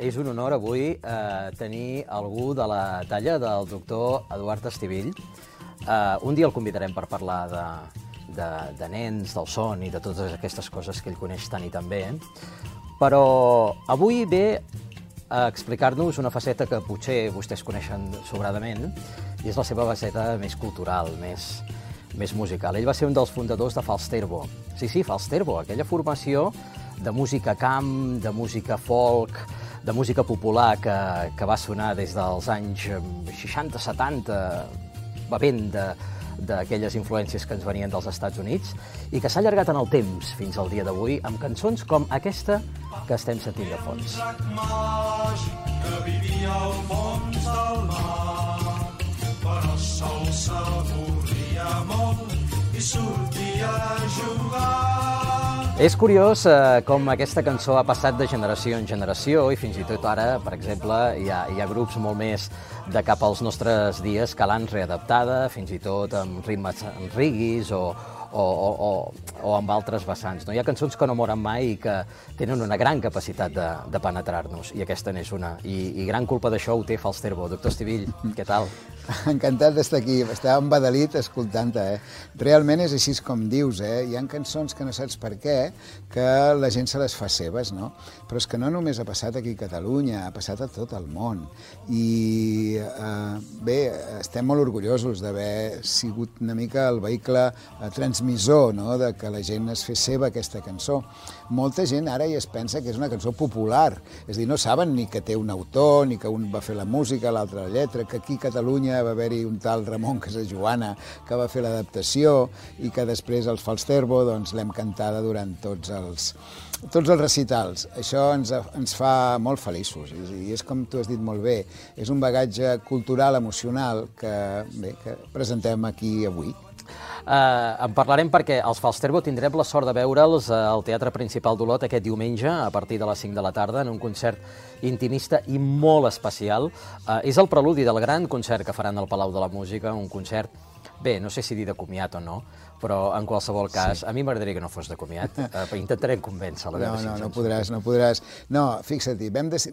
És un honor avui tenir algú de la talla del doctor Eduard Estivill. Un dia el convidarem per parlar de nens, del son i de totes aquestes coses que ell coneix tant i tan bé. Però avui ve a explicar-nos una faceta que potser vostès coneixen sobradament, i és la seva faceta més cultural, més musical. Ell va ser un dels fundadors de Falsterbo. Sí, Falsterbo, aquella formació de música camp, de música folk, de música popular que va sonar des dels anys 60-70, bevent d'aquelles influències que ens venien dels Estats Units i que s'ha allargat en el temps fins al dia d'avui amb cançons com aquesta que estem sentint de fons. Un drac màgic que vivia al fons del mar, però sol s'avorria molt i sortia a jugar. És curiós com aquesta cançó ha passat de generació en generació i fins i tot ara, per exemple, hi ha grups molt més de cap als nostres dies que l'han readaptada, fins i tot amb ritmes reggae o amb altres vessants. Hi ha cançons que no moren mai i que tenen una gran capacitat de penetrar-nos, i aquesta n'és una. I gran culpa d'això ho té Falsterbo. Doctor Estivill, què tal? Encantat d'estar aquí. Estava embadalit escoltant-te. Realment és així com dius. Hi ha cançons que no saps per què, que la gent se les fa seves, no? Però és que no només ha passat aquí a Catalunya, ha passat a tot el món. I bé, estem molt orgullosos d'haver sigut una mica el vehicle transmissor, no?, de que la gent es fes seva aquesta cançó. Molta gent ara ja es pensa que és una cançó popular, és a dir, no saben ni que té un autor, ni que un va fer la música, l'altre la lletra, que aquí a Catalunya va haver-hi un tal Ramon Casajoana que va fer l'adaptació i que després el Falsterbo doncs, l'hem cantada durant tots els recitals. Això ens fa molt feliços i és com tu has dit molt bé, és un bagatge cultural, emocional que presentem aquí avui. En parlarem perquè els Falsterbo tindrem la sort de veure'ls al Teatre Principal d'Olot aquest diumenge a partir de les 5 de la tarda en un concert intimista i molt especial. És el preludi del gran concert que faran al Palau de la Música, un concert, bé, no sé si dir de comiat o no, però en qualsevol cas, a mi m'agradaria que no fos de comiat. Intentarem convèncer-la. No podràs. No, fixa't,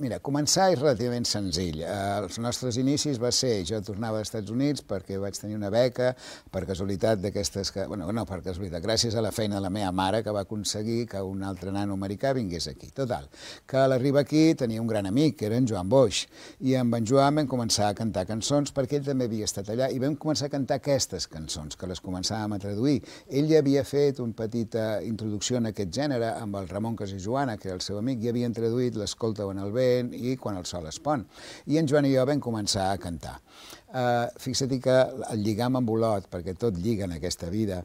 mira, començar és relativament senzill. Els nostres inicis va ser, jo tornava als Estats Units perquè vaig tenir una beca, per casualitat d'aquestes que... Bueno, no per casualitat, gràcies a la feina de la meva mare que va aconseguir que un altre nano americà vingués aquí. Total, que a l'arribar aquí tenia un gran amic, que era en Joan Boix, i amb en Joan vam començar a cantar cançons perquè ell també havia estat allà i vam començar a cantar aquestes cançons, que les començàvem a traduir. Ell ja havia fet una petita introducció en aquest gènere amb el Ramon Casajoana, que era el seu amic, i havien traduït l'Escolta en el vent i Quan el sol es pon. I en Joan i jo vam començar a cantar. Fixa-t'hi que el lligam amb Olot, perquè tot lliga en aquesta vida,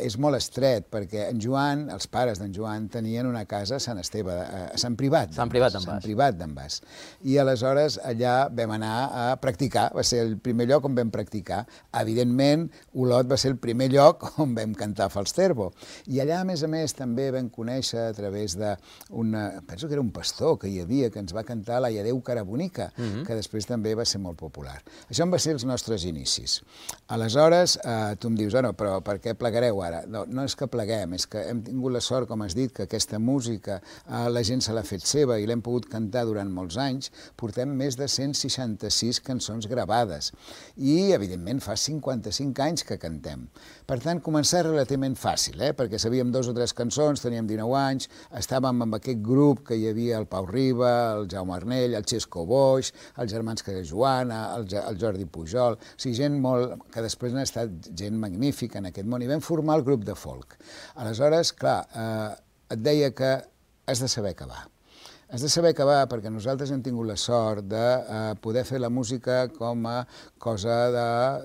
és molt estret, perquè en Joan, els pares d'en Joan, tenien una casa a Sant Esteve, a Sant Privat d'en Bas. I aleshores allà vam anar a practicar, va ser el primer lloc on vam practicar. Evidentment, Olot va ser el primer lloc on vam cantar Falsterbo. I allà, a més, també vam conèixer a través penso que era un pastor que hi havia, que ens va cantar la Iadeu Carabonica, que després també va ser molt popular. Això van ser els nostres inicis. Aleshores, tu em dius, però per què plegareu ara? No és que pleguem, és que hem tingut la sort, com has dit, que aquesta música la gent se l'ha fet seva i l'hem pogut cantar durant molts anys. Portem més de 166 cançons gravades i, evidentment, fa 55 anys que cantem. Per tant, començar relativament fàcil, perquè sabíem 2 o 3 cançons, teníem 19 anys, estàvem amb aquest grup que hi havia el Pau Riba, el Jaume Arnell, el Xesco Boix, els germans Casajoana, el Jordi Pujol, o sigui, gent molt... que després n'ha estat gent magnífica en aquest món, i vam formar el grup de folk. Aleshores, clar, et deia que has de saber acabar. Has de saber acabar perquè nosaltres hem tingut la sort de poder fer la música com a cosa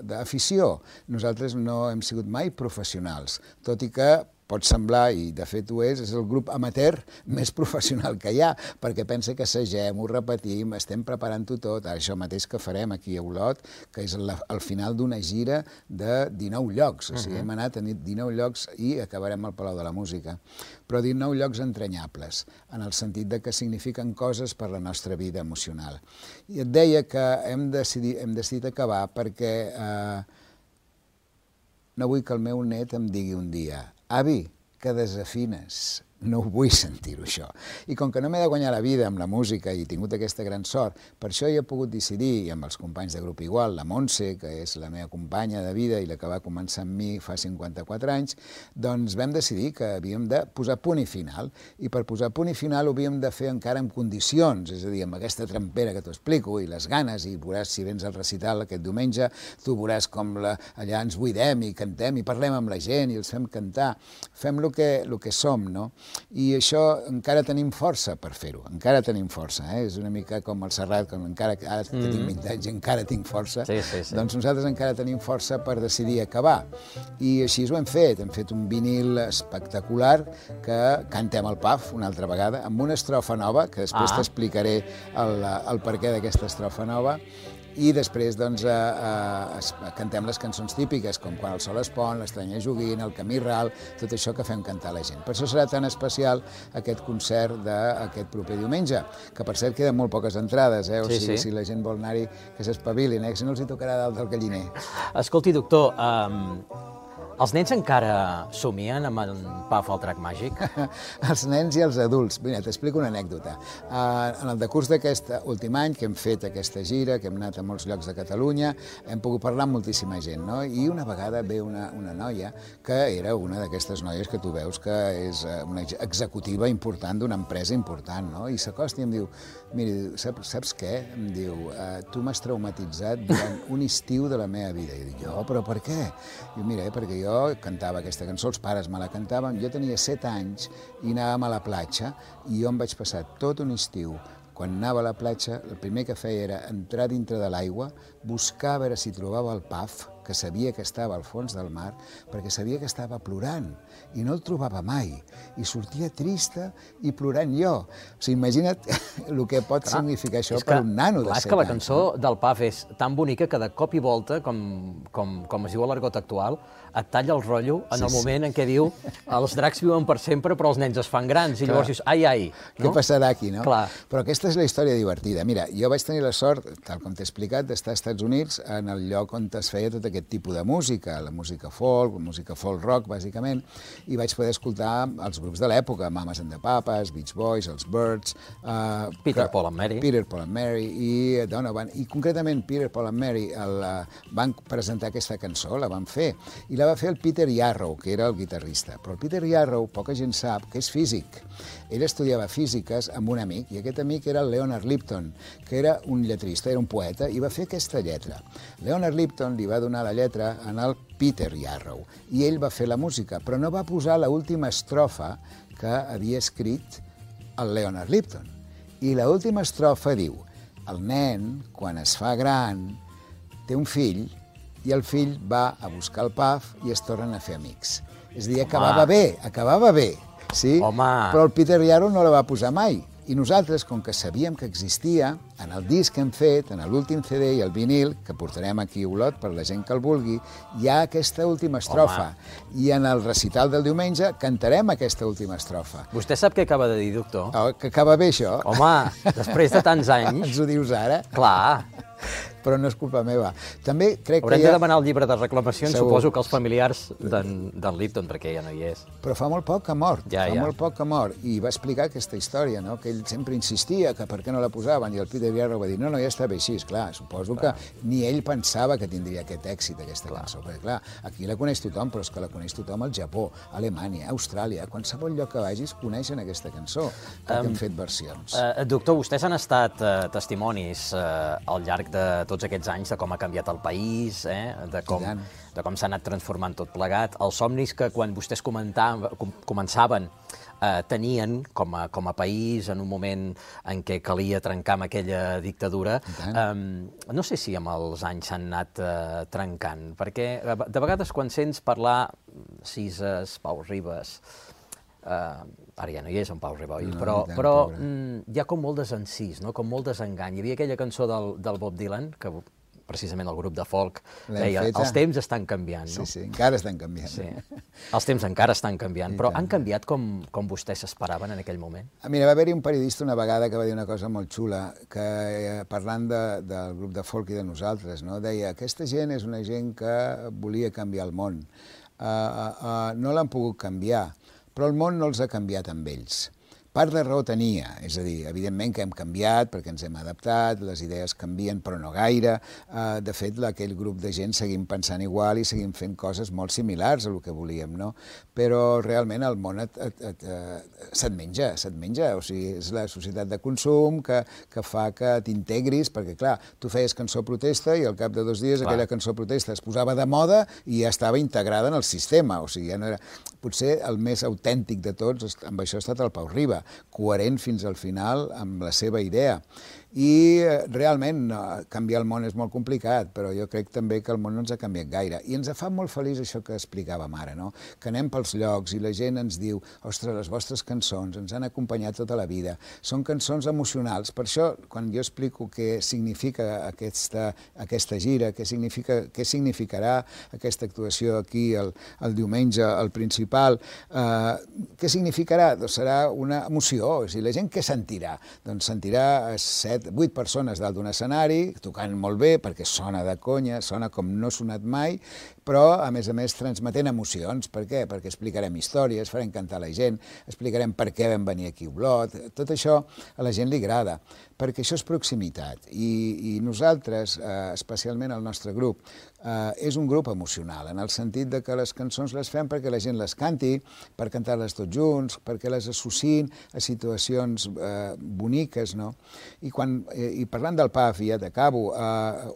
d'afició. Nosaltres no hem sigut mai professionals, tot i que pot semblar, i de fet ho és el grup amateur més professional que hi ha, perquè pensa que assagem, ho repetim, estem preparant-ho tot, això mateix que farem aquí a Olot, que és el final d'una gira de 19 llocs, o sigui, hem anat a 19 llocs i acabarem al Palau de la Música, però 19 llocs entranyables, en el sentit de que signifiquen coses per la nostra vida emocional. I et deia que hem decidit acabar perquè no vull que el meu net em digui un dia: avi, que desafines. no ho vull sentir-ho, això. I com que no m'he de guanyar la vida amb la música i he tingut aquesta gran sort, per això he pogut decidir, i amb els companys de grup igual, la Montse, que és la meva companya de vida i la que va començar amb mi fa 54 anys, doncs vam decidir que havíem de posar punt i final. I per posar punt i final ho havíem de fer encara en condicions, és a dir, amb aquesta trempera que t'ho explico i les ganes, i veuràs si vens al recital aquest diumenge, tu veuràs com allà ens buidem i cantem i parlem amb la gent i els fem cantar, fem el que som, no? I això encara tenim força per fer-ho, encara tenim força, és una mica com el Serrat, com encara ara tenim 20 anys i encara tinc força, doncs nosaltres encara tenim força per decidir acabar. I així ho hem fet un vinil espectacular que cantem al PAF una altra vegada, amb una estrofa nova, que després t'explicaré el perquè d'aquesta estrofa nova, i després doncs, cantem les cançons típiques, com Quan el sol es pon, L'estranya joguina, El camí ral, tot això que fem cantar la gent. Per això serà tan especial aquest concert d'aquest proper diumenge, que per cert queden molt poques entrades, o sigui, si la gent vol anar-hi, que s'espavilin, que si no els hi tocarà dalt del galliner. Escolti, doctor, els nens encara somien amb el PAF al Drac Màgic? Els nens i els adults. Mira, t'explico una anècdota. En el decurs d'aquest últim any, que hem fet aquesta gira, que hem anat a molts llocs de Catalunya, hem pogut parlar amb moltíssima gent, no? I una vegada ve una noia que era una d'aquestes noies que tu veus que és una executiva important d'una empresa important, no? I s'acosta i em diu, mira, saps què? Em diu, tu m'has traumatitzat durant un estiu de la meva vida. I dic, jo, però per què? Diu, mira, perquè jo cantava aquesta cançó, els pares me la cantaven, jo tenia 7 anys i anàvem a la platja i jo em vaig passar tot un estiu. Quan anava a la platja, el primer que feia era entrar dintre de l'aigua, buscar a veure si trobava el PAF, que sabia que estava al fons del mar, perquè sabia que estava plorant, i no el trobava mai, i sortia trista i plorant jo. O sigui, imagina't el que pot significar això per un nano de 7 anys. És que la cançó del PAF és tan bonica que de cop i volta, com es diu a l'argot actual, et talla el rotllo en el moment en què diu els dracs viuen per sempre però els nens es fan grans, i llavors dius, ai. Què passarà aquí, no? Clar. Però aquesta és la història divertida. Mira, jo vaig tenir la sort, tal com t'he explicat, d'estar als Estats Units en el lloc on es feia tot aquest tipus de música, la música folk rock, bàsicament, i vaig poder escoltar els grups de l'època, Mamas and the Papas, Beach Boys, els Byrds... Peter, Paul and Mary i Donovan. I concretament Peter, Paul and Mary van presentar aquesta cançó, la van fer, i la va fer el Peter Yarrow, que era el guitarrista. Però el Peter Yarrow, poca gent sap que és físic. Ell estudiava físiques amb un amic, i aquest amic era el Leonard Lipton, que era un lletrista, era un poeta, i va fer aquesta lletra. Leonard Lipton li va donar la lletra en el Peter Yarrow, i ell va fer la música, però no va posar l'última estrofa que havia escrit el Leonard Lipton. I l'última estrofa diu, el nen, quan es fa gran, té un fill, i el fill va a buscar el PAF i es tornen a fer amics. És a dir, acabava bé, sí? Però el Peter Yarrow no la va posar mai. I nosaltres, com que sabíem que existia, en el disc que hem fet, en l'últim CD i el vinil, que portarem aquí a Olot per la gent que el vulgui, hi ha aquesta última estrofa. I en el recital del diumenge cantarem aquesta última estrofa. Vostè sap què acaba de dir, doctor? Que acaba bé, això? Home, després de tants anys... Ens ho dius ara? Clar. Però no és culpa meva. També crec Haurem que de demanar el llibre de reclamacions, suposo que els familiars d'en Lipton, perquè ja no hi és. Però fa molt poc que ha mort, molt poc que ha mort, i va explicar aquesta història, no? Que ell sempre insistia que per què no la posaven, i el Peter Yarrow va dir, no, ja està bé així, esclar, suposo que ni ell pensava que tindria aquest èxit, aquesta cançó, perquè clar, aquí la coneix tothom, però és que la coneix tothom al Japó, a Alemanya, a Austràlia, a qualsevol lloc que vagis coneixen aquesta cançó, que hem fet versions. Doctor, vostès han estat testimonis al llarg de tots aquests anys de com ha canviat el país, de com s'ha anat transformant tot plegat. Els somnis que quan vostès començaven tenien com a país en un moment en què calia trencar amb aquella dictadura, no sé si amb els anys s'han anat trencant, perquè de vegades quan sents parlar Cises, Pau Ribas, ara ja no hi és en Pau Riboi, però hi ha com molt desencís, com molt desengany. Hi havia aquella cançó del Bob Dylan, que precisament el grup de folk deia, els temps estan canviant. Sí, encara estan canviant. Els temps encara estan canviant, però han canviat com vostès s'esperaven en aquell moment? Mira, va haver-hi un periodista una vegada que va dir una cosa molt xula, que parlant del grup de folk i de nosaltres, deia, aquesta gent és una gent que volia canviar el món. No l'han pogut canviar, però el món no els ha canviat amb ells. Part de raó tenia, és a dir, evidentment que hem canviat perquè ens hem adaptat, les idees canvien però no gaire. De fet, aquell grup de gent seguim pensant igual i seguim fent coses molt similars a el que volíem, no? Però realment el món se't menja, o sigui, és la societat de consum que fa que t'integris, perquè clar, tu feies cançó protesta i al cap de 2 dies aquella cançó protesta es posava de moda i ja estava integrada en el sistema, o sigui, ja no era... Potser el més autèntic de tots, amb això ha estat el Pau Riba, coherent fins al final amb la seva idea. I realment canviar el món és molt complicat, però jo crec també que el món no ens ha canviat gaire. I ens fa molt feliç això que explicàvem ara, no? Que anem pels llocs i la gent ens diu ostres, les vostres cançons ens han acompanyat tota la vida. Són cançons emocionals. Per això, quan jo explico què significa aquesta gira, què significarà aquesta actuació aquí el diumenge, al Principal, què significarà? Doncs serà una emoció. O sigui, la gent què sentirà? Doncs sentirà 8 persones dalt d'un escenari, tocant molt bé, perquè sona de conya, sona com no ha sonat mai, però, a més, transmetent emocions. Per què? Perquè explicarem històries, farem cantar la gent, explicarem per què vam venir aquí a Olot. Tot això a la gent li agrada, perquè això és proximitat. I nosaltres, especialment el nostre grup, és un grup emocional, en el sentit de que les cançons les fem perquè la gent les canti, per cantar-les tots junts, perquè les associïn a situacions boniques, no? I parlant del PAF, i ja t'acabo,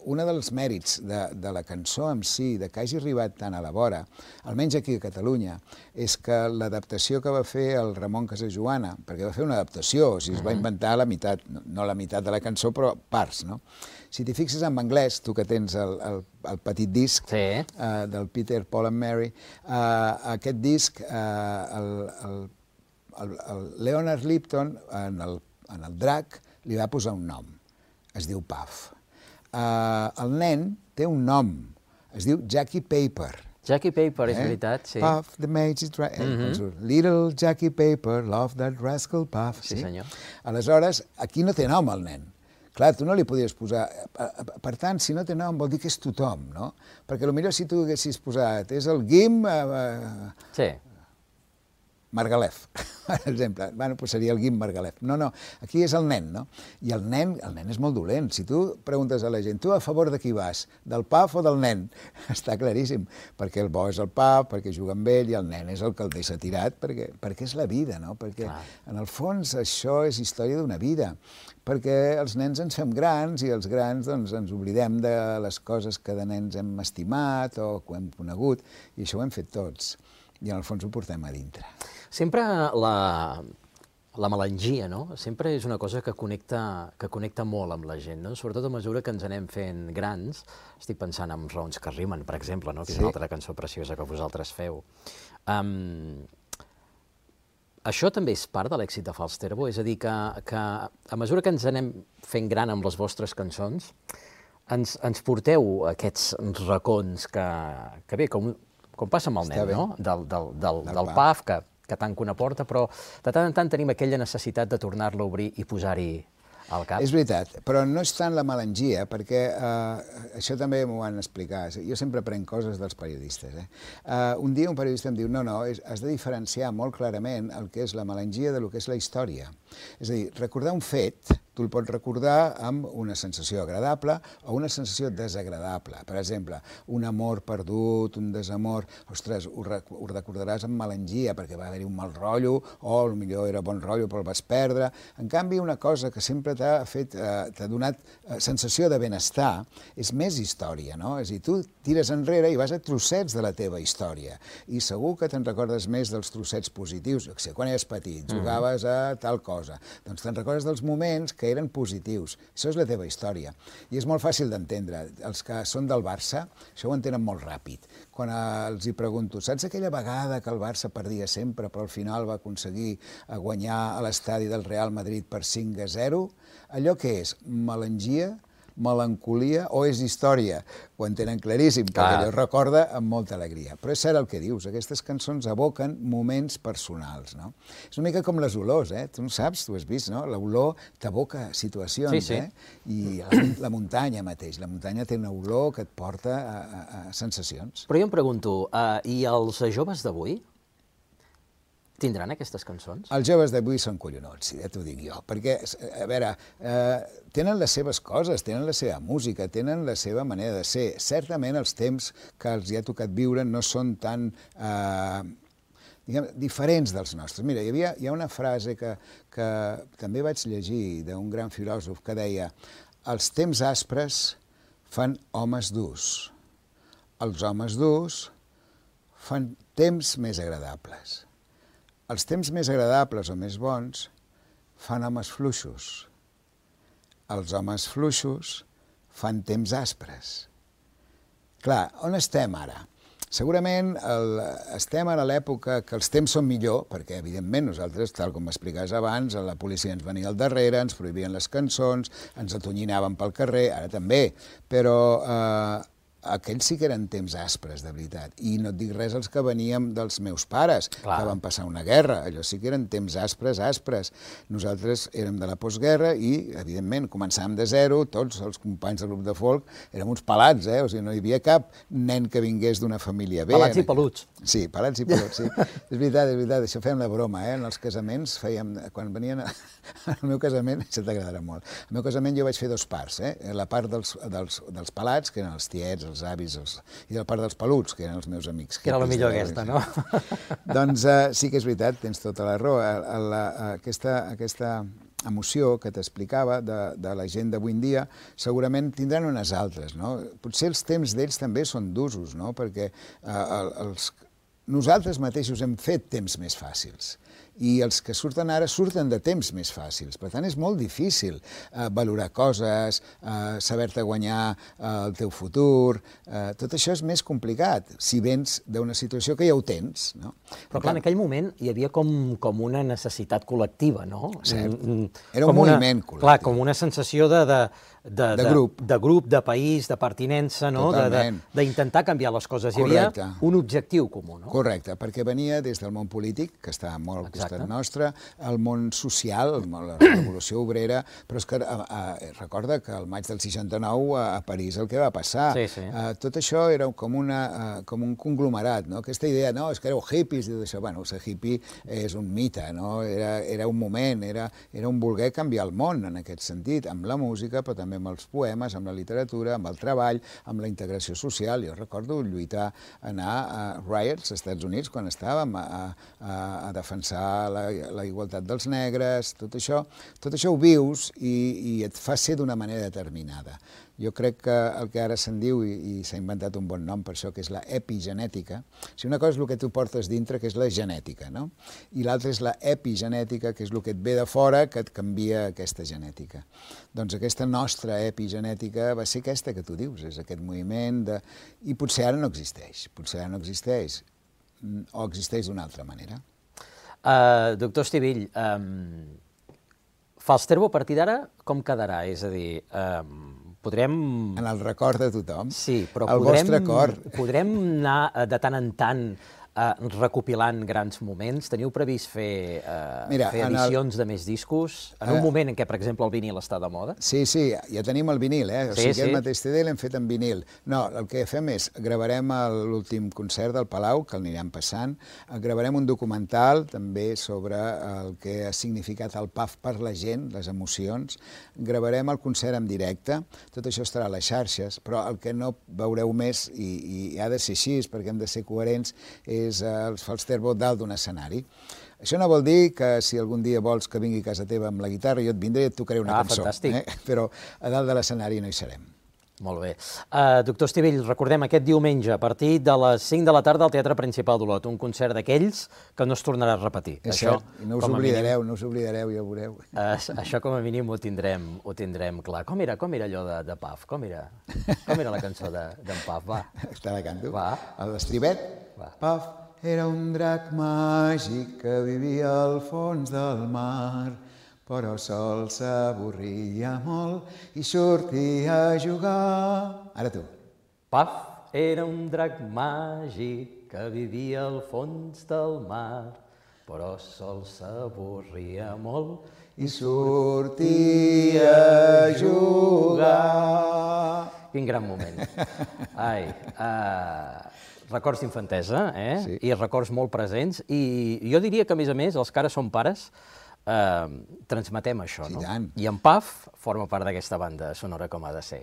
un dels mèrits de la cançó en si, de que hagi arribat tan a la vora, almenys aquí a Catalunya, és que l'adaptació que va fer el Ramon Casajoana, perquè va fer una adaptació, o sigui, es va inventar la meitat, no la meitat de la cançó, però parts, no? Si t'hi fixes en anglès, tu que tens el petit disc del Peter, Paul and Mary, aquest disc, el Leonard Lipton, en el drac, li va posar un nom, es diu Puff. El nen té un nom, es diu Jackie Paper. Jackie Paper, és veritat, sí. Puff, the mage is little Jackie Paper, love that rascal Puff. Sí, senyor. Aleshores, aquí no té nom el nen. Clar, tu no li podies posar... Per tant, si no té nom, vol dir que és tothom, no? Perquè potser si tu haguessis posat, és el Guim... Sí. Margalef, per exemple. Bueno, doncs seria el Guim Margalef. No, aquí és el nen, no? I el nen és molt dolent. Si tu preguntes a la gent, tu a favor de qui vas? Del Paf o del nen? Està claríssim, perquè el bo és el Paf, perquè juga amb ell, i el nen és el que el deixa tirat, perquè és la vida, no? Perquè, en el fons, això és història d'una vida. Perquè els nens ens fem grans i els grans doncs, ens oblidem de les coses que de nens hem estimat o que hem conegut, i això ho hem fet tots. I en el fons ho portem a dintre. Sempre la melangia, no? Sempre és una cosa que connecta molt amb la gent, no? Sobretot a mesura que ens anem fent grans. Estic pensant en Raons que rimen, per exemple, no? Que és una altra cançó preciosa que vosaltres feu. Això també és part de l'èxit de Falsterbo? És a dir, que a mesura que ens anem fent gran amb les vostres cançons, ens porteu aquests racons que bé, com passa amb el nen, no? Del PAF, que tant que una porta, però de tant en tant tenim aquella necessitat de tornar-lo a obrir i posar-hi al cap. És veritat, però no és tant la melangia, perquè això també m'ho van explicar. Jo sempre prenc coses dels periodistes. Un dia un periodista em diu no, has de diferenciar molt clarament el que és la melangia de lo que és la història. És a dir, recordar un fet, tu el pots recordar amb una sensació agradable o una sensació desagradable. Per exemple, un amor perdut, un desamor, ostres, ho recordaràs amb melangia perquè va haver-hi un mal rotllo o potser era bon rotllo però el vas perdre. En canvi, una cosa que sempre t'ha donat sensació de benestar és més història, no? És a dir, tu tires enrere i vas a trossets de la teva història i segur que te'n recordes més dels trossets positius. Quan eres petit, jugaves a tal cosa, doncs te'n recordes dels moments que eren positius. Això és la teva història. I és molt fàcil d'entendre. Els que són del Barça, això ho entenen molt ràpid. Quan els hi pregunto, saps aquella vegada que el Barça perdia sempre, però al final va aconseguir guanyar a l'estadi del Real Madrid per 5-0? Allò què és? Melangia? Melancolia o és història? Ho entenen claríssim, perquè allò recorda amb molta alegria. Però és cert el que dius, aquestes cançons evoquen moments personals, no? És una mica com les olors, Tu no saps, tu has vist, no? L'olor t'evoca situacions, I la muntanya mateix, la muntanya té una olor que et porta a sensacions. Però jo em pregunto, i els joves d'avui? tindran aquestes cançons? Els joves d'avui són collonuts, ja t'ho dic jo, perquè, a veure, tenen les seves coses, tenen la seva música, tenen la seva manera de ser. Certament els temps que els hi ha tocat viure no són tan diferents dels nostres. Mira, hi ha una frase que també vaig llegir d'un gran filòsof que deia: els temps aspres fan homes durs, els homes durs fan temps més agradables. Els temps més agradables o més bons fan homes fluixos. Els homes fluixos fan temps aspres. Clar, on estem ara? Segurament estem a l'època que els temps són millor, perquè, evidentment, nosaltres, tal com m'explicaves abans, la policia ens venia al darrere, ens prohibien les cançons, ens atonyinaven pel carrer, ara també, però aquells sí que eren temps aspres, de veritat. I no et dic res els que veníem dels meus pares, que van passar una guerra. Allò sí que eren temps aspres. Nosaltres érem de la postguerra i, evidentment, començàvem de zero, tots els companys del grup de folk érem uns pelats, o sigui, no hi havia cap nen que vingués d'una família bé. Pelats i peluts. Sí, pelats i peluts, sí. És veritat, això fèiem la broma, en els casaments fèiem, quan venien al meu casament, això t'agradarà molt, al meu casament jo vaig fer dos parts, la part dels pelats, que eren els tiets, els avis, i la part dels peluts, que eren els meus amics. Que era la millor aquesta, no? Doncs sí que és veritat, tens tota la raó. Aquesta emoció que t'explicava de la gent d'avui en dia segurament tindran unes altres, no? Potser els temps d'ells també són d'usos, no? Perquè nosaltres mateixos hem fet temps més fàcils i els que surten ara surten de temps més fàcils. Per tant, és molt difícil valorar coses, saber-te guanyar el teu futur. Tot això és més complicat, si vens d'una situació que ja ho tens, no? Però clar, en aquell moment hi havia com una necessitat col·lectiva, no? Cert. Era un moviment col·lectiu. Clar, com una sensació de grup, de país, de pertinença, no? D'intentar canviar les coses. Hi havia un objectiu comú, no? Correcte, perquè venia des del món polític, que estava molt al costat nostre, el món social, la revolució obrera, però és que recorda que al maig del 69 a París el que va passar. Tot això era com un conglomerat, no? Aquesta idea, no, és que éreu hippies i tot això. Bueno, ser hippie és un mite, no? Era un moment, era un voler canviar el món en aquest sentit, amb la música, però també amb els poemes, amb la literatura, amb el treball, amb la integració social. Jo recordo lluitar, anar a riots als Estats Units quan estàvem a defensar la igualtat dels negres, tot això ho vius i et fa ser d'una manera determinada. Jo crec que el que ara se'n diu, i s'ha inventat un bon nom per això, que és la epigenètica. O sigui, una cosa és el que tu portes dintre, que és la genètica, no? I l'altra és la epigenètica, que és el que et ve de fora, que et canvia aquesta genètica. Doncs aquesta nostra epigenètica va ser aquesta que tu dius, és aquest moviment de... I potser ara no existeix, o existeix d'una altra manera. Doctor Estivill, Falsterbo a partir d'ara com quedarà? És a dir, podrem... En el record de tothom. Sí, però podrem anar de tant en tant recopilant grans moments? Teniu previst fer edicions de més discos? En un moment en què, per exemple, el vinil està de moda? Sí, ja tenim el vinil, O sigui, el mateix CD l'hem fet en vinil. No, el que fem és, gravarem l'últim concert del Palau, que el anirem passant, gravarem un documental també sobre el que ha significat el PAF per la gent, les emocions, gravarem el concert en directe, tot això estarà a les xarxes, però el que no veureu més, i ha de ser així, perquè hem de ser coherents, és el Falsterbo dalt d'un escenari. Això no vol dir que si algun dia vols que vingui a casa teva amb la guitarra, jo et vindré i et tocaré una cançó. Fantàstic. Però a dalt de l'escenari no hi serem. Molt bé. Doctor Estivill, recordem aquest diumenge, a partir de les 5 de la tarda al Teatre Principal d'Olot, un concert d'aquells que no es tornarà a repetir. És cert, i no us oblidareu, ja ho veureu. Això com a mínim ho tindrem clar. Com era allò de Paf? Com era la cançó d'en Paf? Va. Te la canto? Va. L'estribet? Paf era un drac màgic que vivia al fons del mar, però sol s'avorria molt i sortia a jugar. Ara tu. Paf era un drac màgic que vivia al fons del mar, però sol s'avorria molt i sortia a jugar. Quin gran moment. Ai, Records d'infantesa, Sí. I records molt presents. I jo diria que, a més, els que ara som pares, transmetem això, no? I tant. I en Paf forma part d'aquesta banda sonora com ha de ser.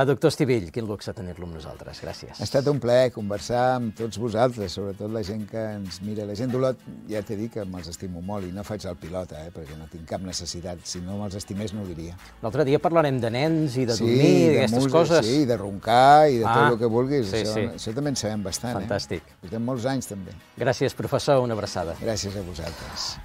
Doctor Estivill, quin luxe tenir-lo amb nosaltres. Gràcies. Ha estat un plaer conversar amb tots vosaltres, sobretot la gent que ens mira. La gent d'Olot, ja t'he dit que me'ls estimo molt i no faig el pilota, perquè no tinc cap necessitat. Si no me'ls estimés no ho diria. L'altre dia parlarem de nens i de dormir i d'aquestes coses. Sí, de roncar i de tot el que vulguis. Sí, això també en sabem bastant. Fantàstic. Portem molts anys també. Gràcies, professor. Una abraçada. Gràcies a vosaltres.